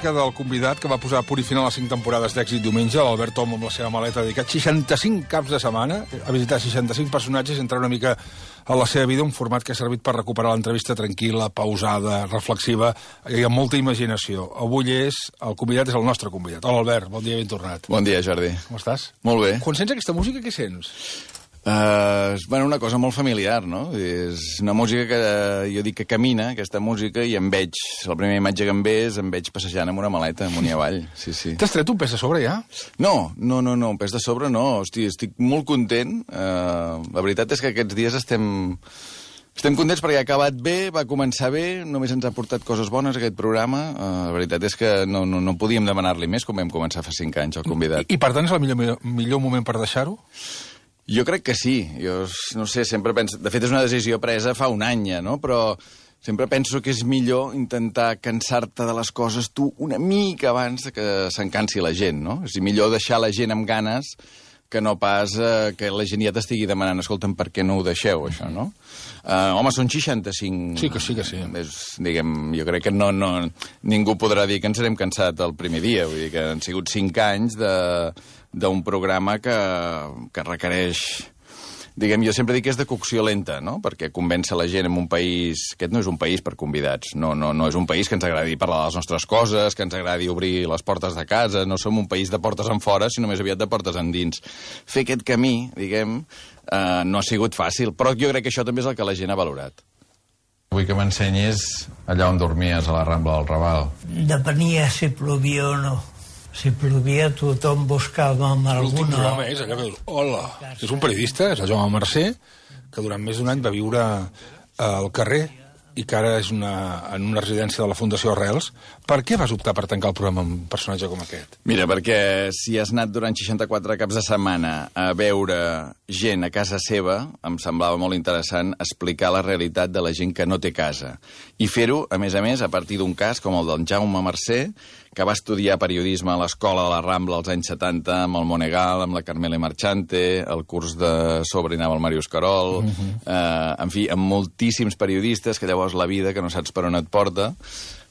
música del convidat que va posar a punt i final a 5 temporades d'èxit diumenge, l'Albert Tom, amb la seva maleta, ha dedicat 65 caps de setmana a visitar 65 personatges i entrar una mica a la seva vida, un format que ha servit per recuperar l'entrevista tranquil·la, pausada, reflexiva i amb molta imaginació. Avui el convidat és el nostre convidat. Hola, Albert, bon dia i ben tornat. Bon dia, Jordi. Com estàs? Molt bé. Quan sents aquesta música, què sents? Bueno, una cosa molt familiar, no? És una música que jo dic que camina, aquesta música, i em veig, la primera imatge que em ve és em veig passejant amb una maleta amunt i avall. Sí, sí. T'has tret un pes de sobre, ja? No, un pes de sobre no. Hosti, estic molt content. La veritat és que aquests dies estem contents perquè ha acabat bé, va començar bé, només ens ha portat coses bones aquest programa. La veritat és que no podíem demanar-li més, com vam començar fa 5 anys, el convidat. I per tant és el millor moment per deixar-ho? Jo crec que sí. Jo no sé, sempre penso... De fet, és una decisió presa fa un any, no? Però sempre penso que és millor intentar cansar-te de les coses tu una mica abans que se'n cansi la gent, no? És millor deixar la gent amb ganes que no pas que la gent ja t'estigui demanant escolta'm, per què no ho deixeu, això, no? Home, són 65... Sí que sí. Diguem, jo crec que ningú podrà dir que ens n'hem cansat el primer dia. Vull dir que han sigut 5 anys d'un programa que requereix... Diguem, jo sempre dic que és de cocció lenta, no? Perquè convèncer la gent en un país... Aquest no és un país per convidats. No és un país que ens agradi parlar de les nostres coses, que ens agradi obrir les portes de casa. No som un país de portes enfora, sinó més aviat de portes endins. Fer aquest camí, diguem, no ha sigut fàcil, però jo crec que això també és el que la gent ha valorat. Vull que m'ensenyis allà on dormies, a la Rambla del Raval. Depenia si plovia o no. Si plovia, tothom buscava amb alguna... L'últim programa és allà que dius, hola, és un periodista, és el Jaume Mercè, que durant més d'un any va viure al carrer i que ara és en una residència de la Fundació Arrels. Per què vas optar per tancar el programa amb un personatge com aquest? Mira, perquè si has anat durant 64 caps de setmana a veure gent a casa seva, em semblava molt interessant explicar la realitat de la gent que no té casa. I fer-ho, a més, a partir d'un cas com el del Jaume Mercè, que va estudiar periodisme a l'Escola de la Rambla als anys 70, amb el Monegal, amb la Carmele Marchante, el curs de sobre anava el Màrius Carol, en fi, amb moltíssims periodistes que llavors la vida, que no saps per on et porta,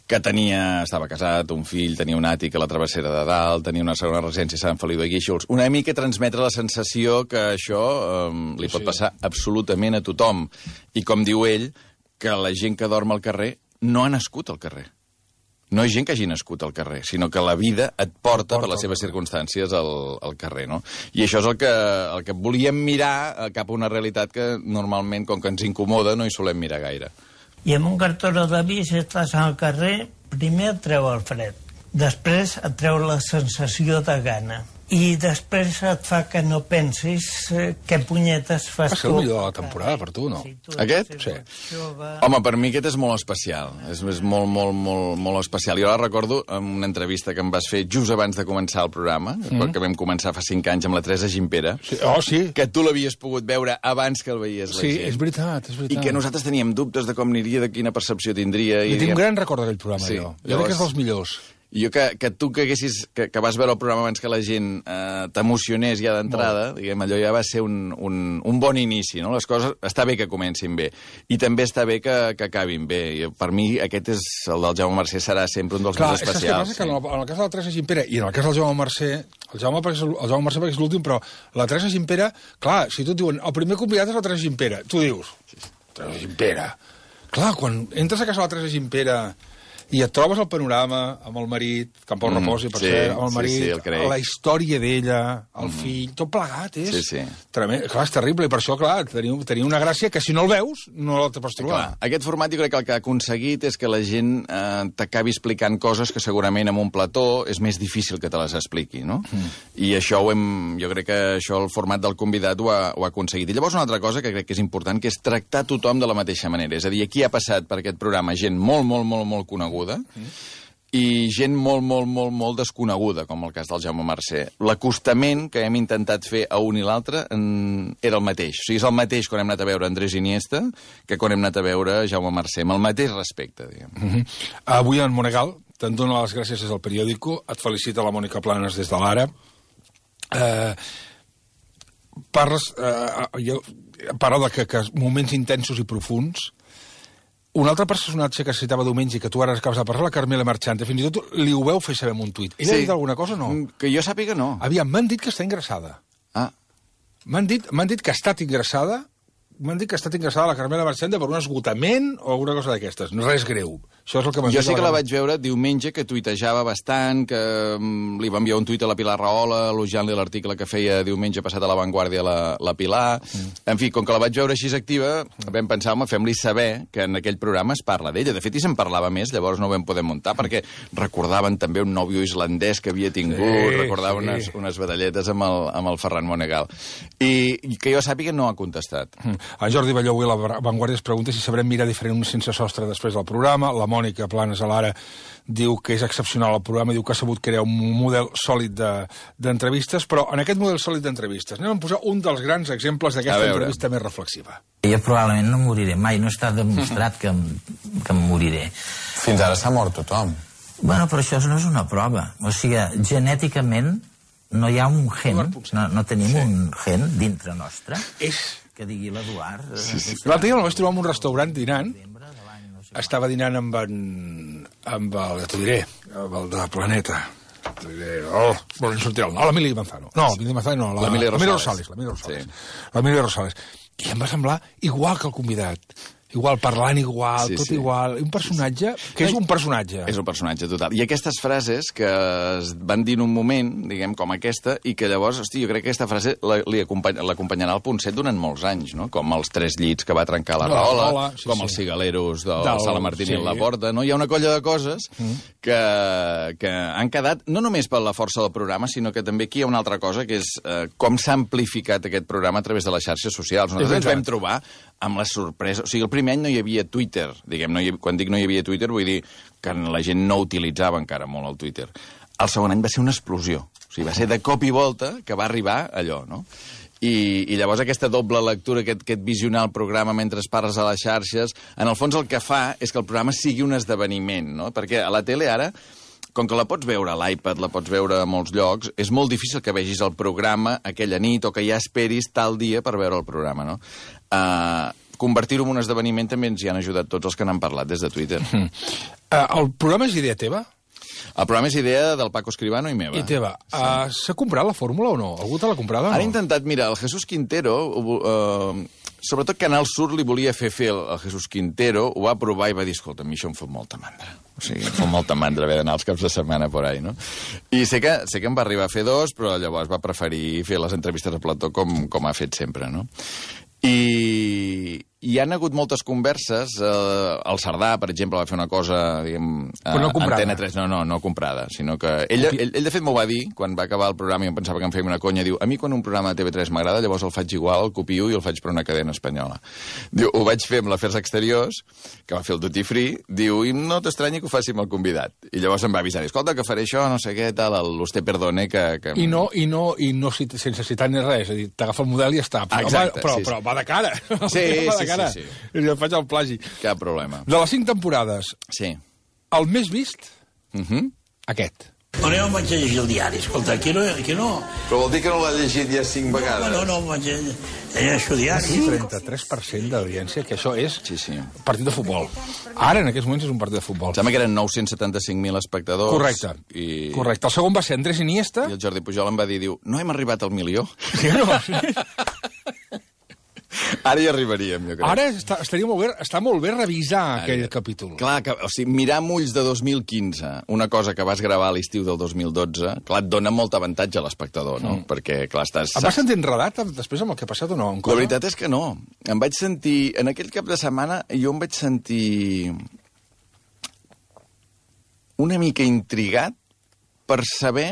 que estava casat, un fill, tenia un àtic a la Travessera de Dalt, tenia una segona residència a Sant Feliu de Guíxols. Una mica transmetre la sensació que això li pot passar absolutament a tothom. I com diu ell, que la gent que dorm al carrer no ha nascut al carrer. No és gent que hagi nascut al carrer, sinó que la vida et porta per les seves circumstàncies al carrer, no? I això és el que volíem mirar cap a una realitat que normalment, com que ens incomoda, no hi solem mirar gaire. I amb un cartó de vi, si estàs al carrer, primer et treu el fred, després et treu la sensació de gana, i després et fa que no pensis què punyetes fas tu. Va ser el millor de la temporada per tu, no? Aquest? Sí. Home, per mi aquest és molt especial. És molt especial. Jo la recordo en una entrevista que em vas fer just abans de començar el programa, que vam començar fa 5 anys amb la Teresa Gimpera. Sí. Oh, sí. Que tu l'havies pogut veure abans que el veies la gent. Sí, és veritat. I que nosaltres teníem dubtes de com aniria, de quina percepció tindria. I tinc un gran record d'aquell programa, sí. jo. Jo crec que és dels millors. I jo que tu que vas veure el programa abans que la gent t'emocionés ja d'entrada, diguem, allò ja va ser un bon inici, no? Les coses està bé que comencin bé, i també està bé que acabin bé. Per mi aquest és el del Jaume Mercè, serà sempre un dels més especials. Clar, és que en el cas de la Teresa Gimpera i en el cas del Jaume Mercè, el Jaume Mercè perquè és l'últim, però la Teresa Gimpera, clar, si tu et diuen el primer convidat és la Teresa Gimpera, tu dius, Teresa Gimpera. Clar, quan entres a casa de la Teresa Gimpera i et trobes el panorama amb el marit, que en Pau reposi, per cert, amb el marit, la història d'ella, el fill, tot plegat, és tremend. Clar, és terrible, i per això, clar, tenia una gràcia que si no el veus, no la pots trobar. Clar, aquest format jo crec que el que ha aconseguit és que la gent t'acabi explicant coses que segurament en un plató és més difícil que te les expliqui, no? I això jo crec que això el format del convidat ho ha aconseguit. I llavors una altra cosa que crec que és important, que és tractar tothom de la mateixa manera. És a dir, aquí ha passat per aquest programa gent molt coneguda, i gent molt desconeguda, com el cas del Jaume Mercè. L'acostament que hem intentat fer a un i l'altre era el mateix. O sigui, és el mateix quan hem anat a veure Andrés Iniesta que quan hem anat a veure Jaume Mercè, amb el mateix respecte, diguem. Avui en Monegal te'n dono les gràcies des del periòdico, et felicita la Mònica Planes des de l'Ara. Parla de que moments intensos i profuns. un altre personatge que citava diumenge i que tu ara acabes de parlar, la Carmela Marchante, fins i tot li ho veu fer saber en un tuit. Ella ha dit alguna cosa o no? Que jo sàpiga, no. Aviam, m'han dit que està ingressada. Ah. M'han dit que ha estat ingressada. M'han dit que ha estat ingressada la Carmela Marchante per un esgotament o alguna cosa d'aquestes. Res greu. Això és el que m'han dit. Jo sí que la vaig veure diumenge, que tuitejava bastant, que li va enviar un tuit a la Pilar Rahola, elogiant-li l'article que feia diumenge passat a La Vanguardia la Pilar. En fi, com que la vaig veure així activa, vam pensar, home, fem-li saber que en aquell programa es parla d'ella. De fet, i se'n parlava més, llavors no ho vam poder muntar, perquè recordaven també un nòvio islandès que havia tingut, recordaven unes badalletes amb el Ferran Monegal. I que jo sàpiga no ha contestat. En Jordi Balló avui a La Vanguardia es pregunta si sabrem mirar diferent un sense sostre després del programa. La Mònica Planes a l'Ara diu que és excepcional el programa, diu que ha sabut crear un model sòlid d'entrevistes, però en aquest model sòlid d'entrevistes anem a posar un dels grans exemples d'aquesta entrevista més reflexiva. Jo probablement no moriré mai, no està demostrat que em moriré. Fins ara s'ha mort tothom. Bueno, però això no és una prova. O sigui, genèticament no hi ha un gen, no tenim un gen dintre nostre que digui l'Eduard. L'altre dia el vaig trobar en un restaurant dinant. Estava dinant amb el, ja t'ho diré, amb el de Planeta. T'ho diré, no em sortirà el nom. L'Emili Manzano. No, l'Emili Manzano no, l'Emili Rosales. L'Emili Rosales. I em va semblar igual que el convidat. Igual, parlant igual, tot igual. Un personatge que és un personatge. És un personatge, total. I aquestes frases que es van dir en un moment, diguem, com aquesta, i que llavors, hosti, jo crec que aquesta frase l'acompanyarà al Punt 7 durant molts anys, no? Com els 3 llits que va trencar la Rahola, com els cigaleros del Sala Martín i la Porta, no? Hi ha una colla de coses que han quedat, no només per la força del programa, sinó que també aquí hi ha una altra cosa, que és com s'ha amplificat aquest programa a través de les xarxes socials. Nosaltres ens vam trobar amb la sorpresa... O sigui, el primer any no hi havia Twitter. Diguem, quan dic no hi havia Twitter, vull dir que la gent no utilitzava encara molt el Twitter. El segon any va ser una explosió. O sigui, va ser de cop i volta que va arribar allò, no? I llavors aquesta doble lectura, aquest visionar el programa mentre parles a les xarxes, en el fons el que fa és que el programa sigui un esdeveniment, no? Perquè a la tele ara, com que la pots veure a l'iPad, la pots veure a molts llocs, és molt difícil que vegis el programa aquella nit o que ja esperis tal dia per veure el programa, no? Convertir-ho en un esdeveniment també ens hi han ajudat tots els que n'han parlat des de Twitter. El programa és idea teva? El programa és idea del Paco Escribano i meva. I teva. S'ha comprat la fórmula o no? Algú te l'ha comprada o no? Han intentat, mira, el Jesús Quintero... sobretot Canal Sur li volia fer el Jesús Quintero, ho va provar i va dir, escolta, a mi això em fot molta mandra. O sigui, em fot molta mandra haver d'anar els caps de setmana por ahí, no? I sé que em va arribar a fer 2, però llavors va preferir fer les entrevistes a plató com ha fet sempre, no? I hi han hagut moltes converses. El Cerdà, per exemple, va fer una cosa, diguem... Però no comprada. Antena 3, no comprada, sinó que... Ell de fet m'ho va dir, quan va acabar el programa i em pensava que em feia una conya, diu, a mi quan un programa de TV3 m'agrada, llavors el faig igual, el copio i el faig per una cadena espanyola. Diu, ho vaig fer amb l'Afers Exteriors, que va fer el Duty Free, diu, i no t'estranyi que ho faci amb el convidat. I llavors em va avisar, escolta, que faré això, no sé què, tal, l'Usted Perdone, que... I no sense citar ni res, és a dir, t'agafa el model i ja està. Però va de cara. Sí. Jo faig el plagi. Cap problema. De les 5 temporades, sí. El més vist, aquest. No em vaig llegir el diari, escolta, aquí no... Però vol dir que no l'ha llegit ja 5 vegades? No, vaig llegir el diari. Sí, 33% d'audiència, que això és partit de futbol. Ara, en aquests moments, és un partit de futbol. Em sembla que eren 975.000 espectadors. Correcte. Correcte. El segon va ser Andrés Iniesta. I el Jordi Pujol em va dir, no hem arribat al milió. Sí, no? Ara hi arribaríem, jo crec. Ara està molt bé revisar aquell capítol. Clar, o sigui, mirar amb ulls de 2015, una cosa que vas gravar a l'estiu del 2012, clar, et dona molt avantatge a l'espectador, no? Perquè, clar, estàs... Em vas sentir enredat després amb el que ha passat o no? La veritat és que no. Em vaig sentir... En aquell cap de setmana jo em vaig sentir una mica intrigat per saber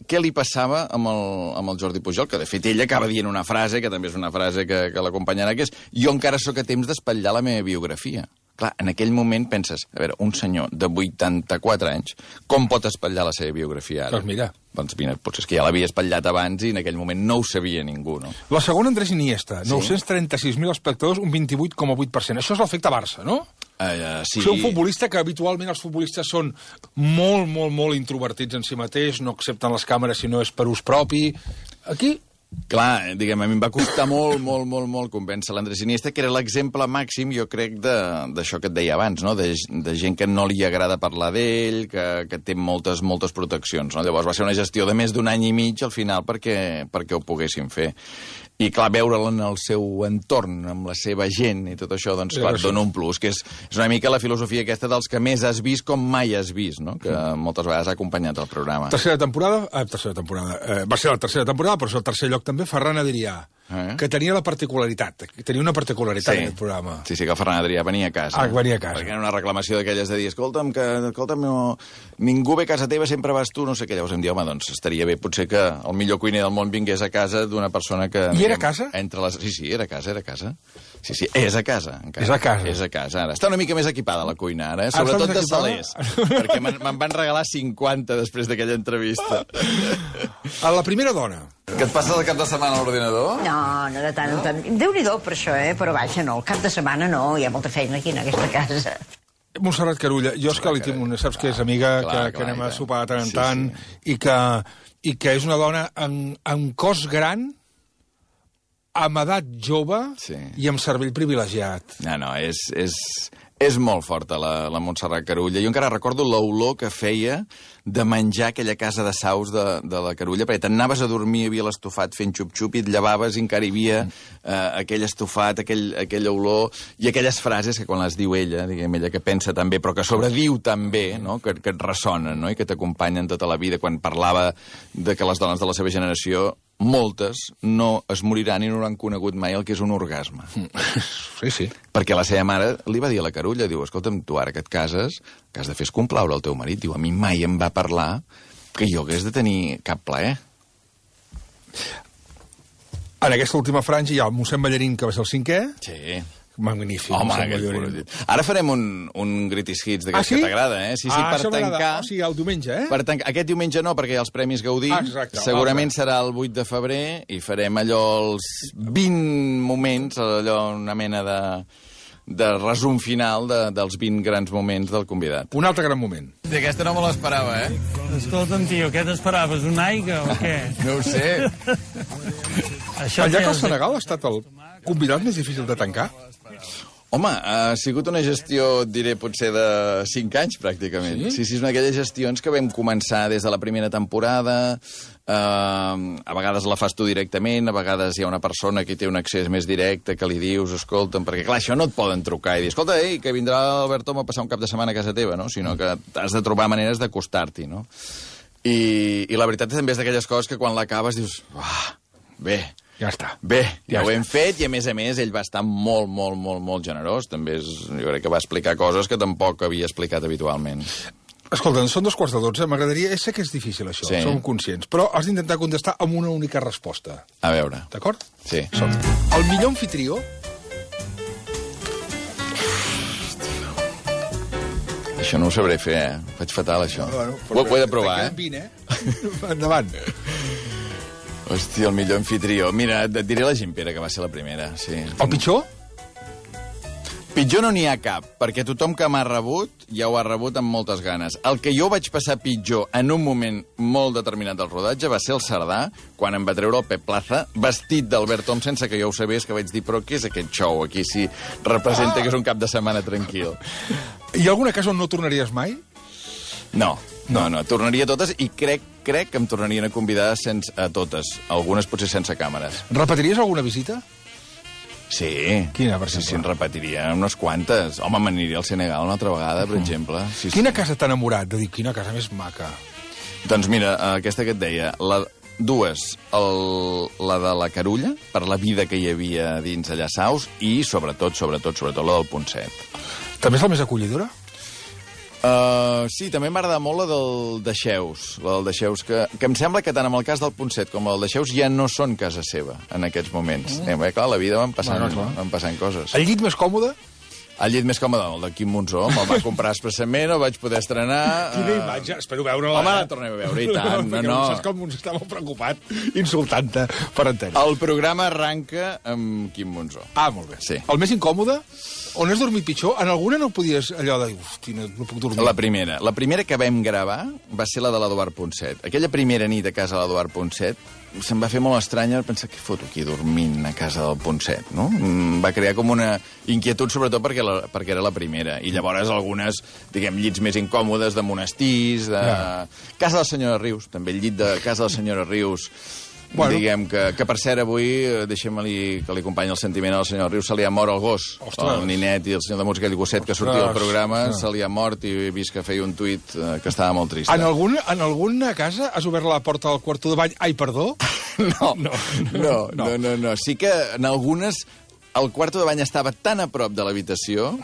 què li passava amb el Jordi Pujol, que de fet ell acaba dient una frase, que també és una frase que l'acompanyarà, que és jo encara sóc a temps d'espatllar la meva biografia. Clar, en aquell moment penses, a veure, un senyor de 84 anys, com pot espatllar la seva biografia ara? Doncs mira, potser és que ja l'havia espatllat abans i en aquell moment no ho sabia ningú, no? La segona, Andrés Iniesta, 936.000 espectadors, un 28,8%. Això és l'efecte Barça, no? Sí. Ser un futbolista que habitualment els futbolistes són molt introvertits en si mateix, no accepten les càmeres si no és per ús propi. Aquí Clar, diguem, a mi em va costar molt convèncer l'Andrés Iniesta, que era l'exemple màxim, jo crec, d'això que et deia abans, no? De gent que no li agrada parlar d'ell, que té moltes proteccions, no? Llavors va ser una gestió de més d'un any i mig, al final, perquè ho poguessin fer. I, clar, veure'l en el seu entorn, amb la seva gent i tot això, doncs, clar, et dona un plus, que és una mica la filosofia aquesta dels que més has vist com mai has vist, no? Que moltes vegades ha acompanyat el programa. Tercera temporada. Va ser la tercera temporada, però és el tercer lloc també, Ferran Adrià, que tenia una particularitat en aquest programa. Sí, que el Ferran Adrià venia a casa. Venia a casa. Perquè era una reclamació d'aquelles de dir, escolta'm, no, ningú ve a casa teva, sempre vas tu, no sé què. Llavors em diu, home, doncs estaria bé potser que el millor cuiner del món vingués a casa d'una persona que... I era a casa? Sí, era a casa. Sí, és a casa. Encara. És a casa. Ara. Està una mica més equipada la cuina, ara, sobretot de salers. Perquè me'n van regalar 50 després d'aquella entrevista. A la primera dona. Què et passa el cap de setmana a l'ordinador? No de tant en tant. Déu-n'hi-do per això, però vaja, no, el cap de setmana no, hi ha molta feina aquí en aquesta casa. Montserrat Carulla, jo és que li tinc una, saps que és amiga, que anem a sopar de tant en tant, i que és una dona amb cos gran, amb edat jove i amb cervell privilegiat. No, és molt forta la Montserrat Carulla. Jo encara recordo l'olor que feia de menjar aquella casa de saus de la Carulla, perquè t'anaves a dormir, hi havia l'estofat fent xup-xup i et llevaves i encara hi havia aquell estofat, aquella olor i aquelles frases que quan les diu ella, diguem, ella que pensa també, però que sobrediu també, no? que et ressonen, no? I que t'acompanyen tota la vida. Quan parlava de que les dones de la seva generació, moltes no es moriran i no hauran conegut mai el que és un orgasme. Sí. Perquè la seva mare li va dir a la Carulla, diu, escolta'm, tu ara que et cases, el que has de fer és complaure el teu marit. Diu, a mi mai em va parlar que jo hagués de tenir cap plaer. En aquesta última franja hi ha el mossèn Ballarín, que va ser el 5è. Sí. Magnífic. Home, ara farem un Greatest Hits d'aquests que t'agrada, eh? Sí, per tancar... O sigui, el diumenge, eh? Per tancar. Aquest diumenge no, perquè hi ha els Premis Gaudí. Exacte. Segurament serà el 8 de febrer i farem allò els 20 moments, allò una mena de resum final dels 20 grans moments del convidat. Un altre gran moment. Aquesta no me l'esperava, eh? Escolta'm, tio, què t'esperaves? Una aigua o què? No ho sé. El llac al Senegal ha estat el convidat més difícil de tancar? Home, ha sigut una gestió, diré, potser de 5 anys, pràcticament. Sí, és una d'aquelles gestions que vam començar des de la primera temporada, a vegades la fas tu directament, a vegades hi ha una persona que té un accés més directe, que li dius, escolta'm, perquè clar, això no et poden trucar i dir, escolta, que vindrà l'Alberto a passar un cap de setmana a casa teva, no? Sinó que has de trobar maneres d'acostar-t'hi, no? I la veritat també és d'aquelles coses que quan l'acabes dius, bé, ja està. Bé, ja ho hem fet i, a més, ell va estar molt generós. També jo crec que va explicar coses que tampoc havia explicat habitualment. Escolta, són 2:45. M'agradaria... Sé que és difícil, això, som conscients, però has d'intentar contestar amb una única resposta. A veure. D'acord? Sí. El millor anfitrió... Això no ho sabré fer, eh? Faig fatal, això. Ho he de provar, eh? 20, eh? Endavant. Hòstia, el millor anfitrió. Mira, et diré la Gimpera, que va ser la primera, sí. El pitjor? Pitjor no n'hi ha cap, perquè tothom que m'ha rebut ja ho ha rebut amb moltes ganes. El que jo vaig passar pitjor en un moment molt determinat del rodatge va ser el Cerdà, quan em va treure el Pep Plaza, vestit d'Albert Tom, sense que jo ho sabés, que vaig dir, però què és aquest show? Aquí sí representa que és un cap de setmana tranquil. Hi ha alguna casa on no tornaries mai? No, tornaria a totes i crec que em tornarien a convidar a totes, algunes potser sense càmeres. Repetiries alguna visita? Sí. Quina, per exemple? Sí, en repetiria unes quantes. Home, m'aniria al Senegal una altra vegada, per exemple. Sí, quina casa t'ha enamorat? De dir, quina casa més maca. Doncs mira, aquesta que et deia, dues, la de la Carulla, per la vida que hi havia dins allà Saus, i sobretot la del Ponset. També és la més acollidora? Sí, també m'agrada molt la del Deixeus. La del Deixeus, que em sembla que tant en el cas del Ponset com el del Deixeus ja no són casa seva en aquests moments. Clar, la vida van passant coses. El llit més còmode? El llit més còmode, el de Quim Monzó. Me'l va comprar expressament, el vaig poder estrenar... Quina imatge, espero veure-la. Home, la tornem a veure, i tant. No. Saps que el Monzó està molt preocupat, insultant-te per antena. El programa arranca amb Quim Monzó. Molt bé. Sí. El més incòmode? On has dormit pitjor? En alguna no podies allò de... Hosti, no puc dormir. La primera que vam gravar va ser la de l'Eduard Ponset. Aquella primera nit a casa de l'Eduard Ponset se'm va fer molt estrany pensar què foto aquí dormint a casa del Ponset, no? Va crear com una inquietud, sobretot perquè era la primera. I llavors algunes, diguem, llits més incòmodes de monestirs, de... Casa de la senyora Rius, també el llit de casa de la senyora Rius. Bueno. Diguem que per cert, avui, deixem-li que li acompanyi el sentiment a la senyora Rius, se li ha mort el gos. Ostres. El ninet i el senyor de música, aquell gosset que sortia del programa, se li ha mort i he vist que feia un tuit que estava molt trist. En alguna casa has obert la porta del quarto de bany? Ai, perdó? No. Sí que en algunes el quarto de bany estava tan a prop de l'habitació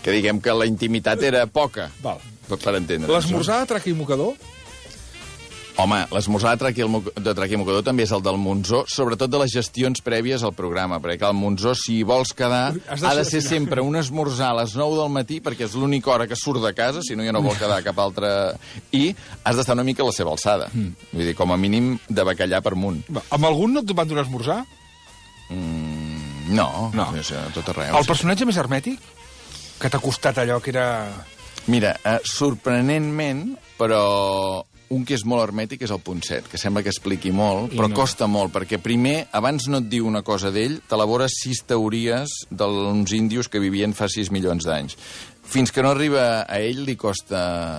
que diguem que la intimitat era poca. Val. Per entendre. L'esmorzar de traca i mocador? Home, l'esmorzar de traca i mocador també és el del Monzó, sobretot de les gestions prèvies al programa, perquè el Monzó, si vols quedar, ha de ser sempre un esmorzar a les 9 del matí, perquè és l'única hora que surt de casa, si no ja no vol quedar cap altra... I has d'estar una mica a la seva alçada. Vull dir, com a mínim de bacallà per munt. Amb algun no et van donar esmorzar? No. Tot arreu. El personatge més hermètic? Que t'ha costat allò que era... Mira, sorprenentment, però... Un que és molt hermètic és el Ponset, que sembla que expliqui molt, però costa molt, perquè primer, abans no et diu una cosa d'ell, t'elabores 6 teories d'uns índios que vivien fa 6 milions d'anys. Fins que no arriba a ell li costa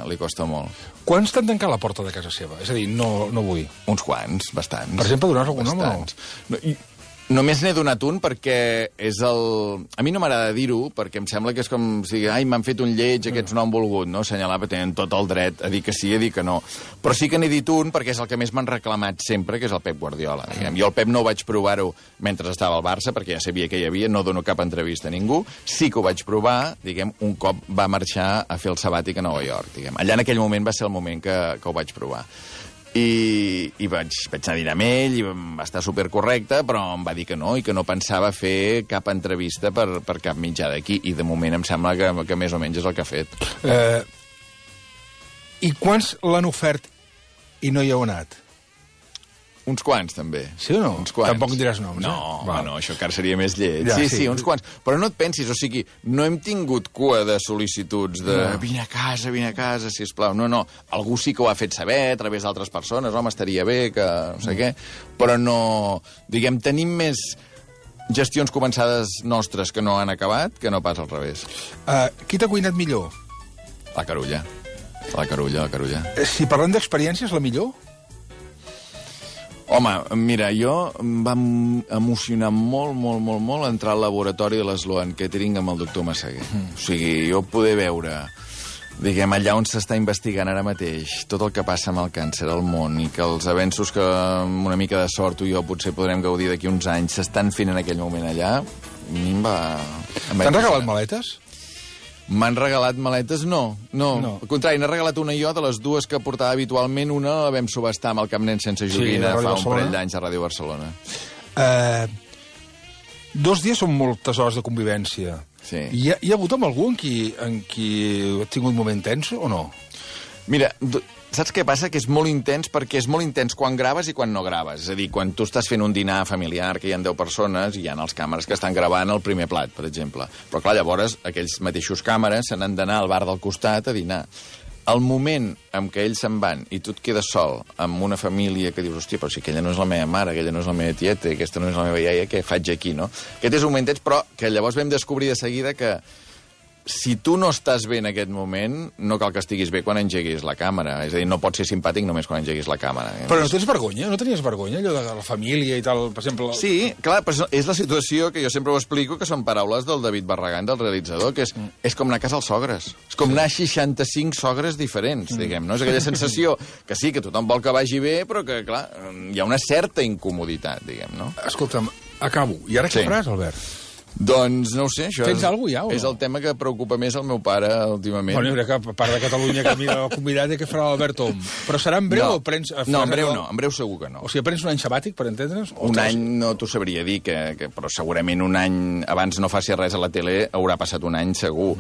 molt. Quants t'han tancat la porta de casa seva? És a dir, no vull. Uns quants, bastants. Per exemple, donar algun nom o no? Només n'he donat un perquè és el... A mi no m'agrada dir-ho, perquè em sembla que és com si ai, m'han fet un lleig, aquests no han volgut, no? Assenyalar, perquè tenen tot el dret a dir que sí i a dir que no. Però sí que n'he dit un perquè és el que més m'han reclamat sempre, que és el Pep Guardiola. Diguem. Jo el Pep no ho vaig provar-ho mentre estava al Barça, perquè ja sabia que hi havia, no dono cap entrevista a ningú. Sí que ho vaig provar, diguem, un cop va marxar a fer el sabàtic a Nova York. Diguem. Allà en aquell moment va ser el moment que ho vaig provar. I vaig anar a dinar amb ell, i va estar supercorrecte, però em va dir que no, i que no pensava fer cap entrevista per cap mitjà d'aquí, i de moment em sembla que més o menys és el que ha fet. I quants l'han ofert i no hi heu anat? Uns quants, també. Sí o no? Uns quants. Tampoc diràs noms, No, això encara seria més lleig. Ja, sí, uns quants. Però no et pensis, o sigui, no hem tingut cua de sol·licituds de vine a casa, sisplau. No. Algú sí que ho ha fet saber a través d'altres persones, home, estaria bé, que no sé què, però no... Diguem, tenim més gestions començades nostres que no han acabat que no pas al revés. Qui t'ha cuinat millor? La Carulla. La Carulla. Si parlem d'experiències, la millor? Home, mira, jo em va emocionar molt entrar al laboratori de l'Sloan Catering amb el doctor Massaguer. O sigui, jo poder veure, diguem, allà on s'està investigant ara mateix tot el que passa amb el càncer al món i que els avenços que amb una mica de sort tu i jo potser podrem gaudir d'aquí uns anys s'estan fent en aquell moment allà, a mi em va... T'han regalat maletes? M'han regalat maletes? No. Al contrari, n'he regalat una jo, de les dues que portava habitualment. Una la vam subestar amb el Camp Nen sense joguina fa un parell d'anys a Ràdio Barcelona. 2 dies són moltes hores de convivència. Sí. Hi ha hagut amb algú en qui ha tingut un moment tens o no? Mira, saps què passa? Que és molt intens perquè és molt intens quan graves i quan no graves. És a dir, quan tu estàs fent un dinar familiar que hi ha 10 persones i hi ha els càmeres que estan gravant el primer plat, per exemple. Però clar, llavors aquells mateixos càmeres se n'han d'anar al bar del costat a dinar. El moment en què ells se'n van i tu et quedes sol amb una família que dius, hòstia, però si aquella no és la meva mare, aquella no és la meva tieta, aquesta no és la meva iaia, què faig aquí, no? Aquest és un moment intens, però que llavors vam descobrir de seguida que si tu no estàs bé en aquest moment, no cal que estiguis bé quan engeguis la càmera. És a dir, no pots ser simpàtic només quan engeguis la càmera. Però no tens vergonya? No tenies vergonya, allò de la família i tal, per exemple? Sí, clar, però és la situació que jo sempre ho explico, que són paraules del David Barragán, del realitzador, que és com anar a casa als sogres. És com anar a 65 sogres diferents, diguem, no? És aquella sensació que sí, que tothom vol que vagi bé, però que, clar, hi ha una certa incomoditat, diguem, no? Escolta'm, acabo. I ara què faràs, Albert? Doncs no ho sé, això tens alguna cosa ja, o no? És el tema que preocupa més el meu pare últimament. Bueno, que a part de Catalunya que mira el convidat i què farà l'Albert Om. Però serà en breu o prens... No, en breu no, en breu segur que no. O sigui, prens un any sabàtic, per entendre's? Un any no t'ho sabria dir, però segurament un any abans no faci res a la tele haurà passat un any segur.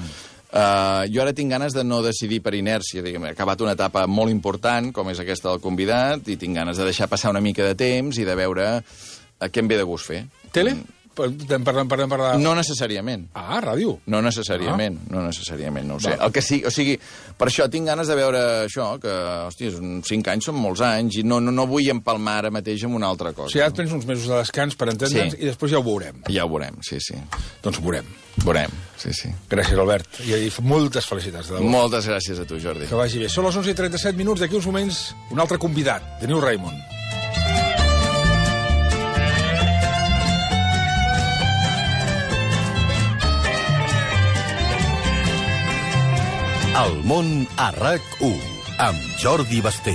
Jo ara tinc ganes de no decidir per inèrcia, diguem, he acabat una etapa molt important, com és aquesta del convidat, i tinc ganes de deixar passar una mica de temps i de veure què em ve de gust fer. Tele? Parlem de... No necessàriament. Ah, ràdio. No necessàriament, no ho sé. El que sí, o sigui, per això tinc ganes de veure això, que, hòstia, 5 anys són molts anys, i no vull empalmar ara mateix amb una altra cosa. O sigui, ara et prens uns mesos de descans per entendre'ns i després ja ho veurem. Ja ho veurem, sí. Doncs veurem. Veurem, sí. Gràcies, Albert. I moltes felicitats. De moltes gràcies a tu, Jordi. Que vagi bé. Són les 11:37, d'aquí uns moments, un altre convidat, de Neil Raymond. El món a RAC1, amb Jordi Basté.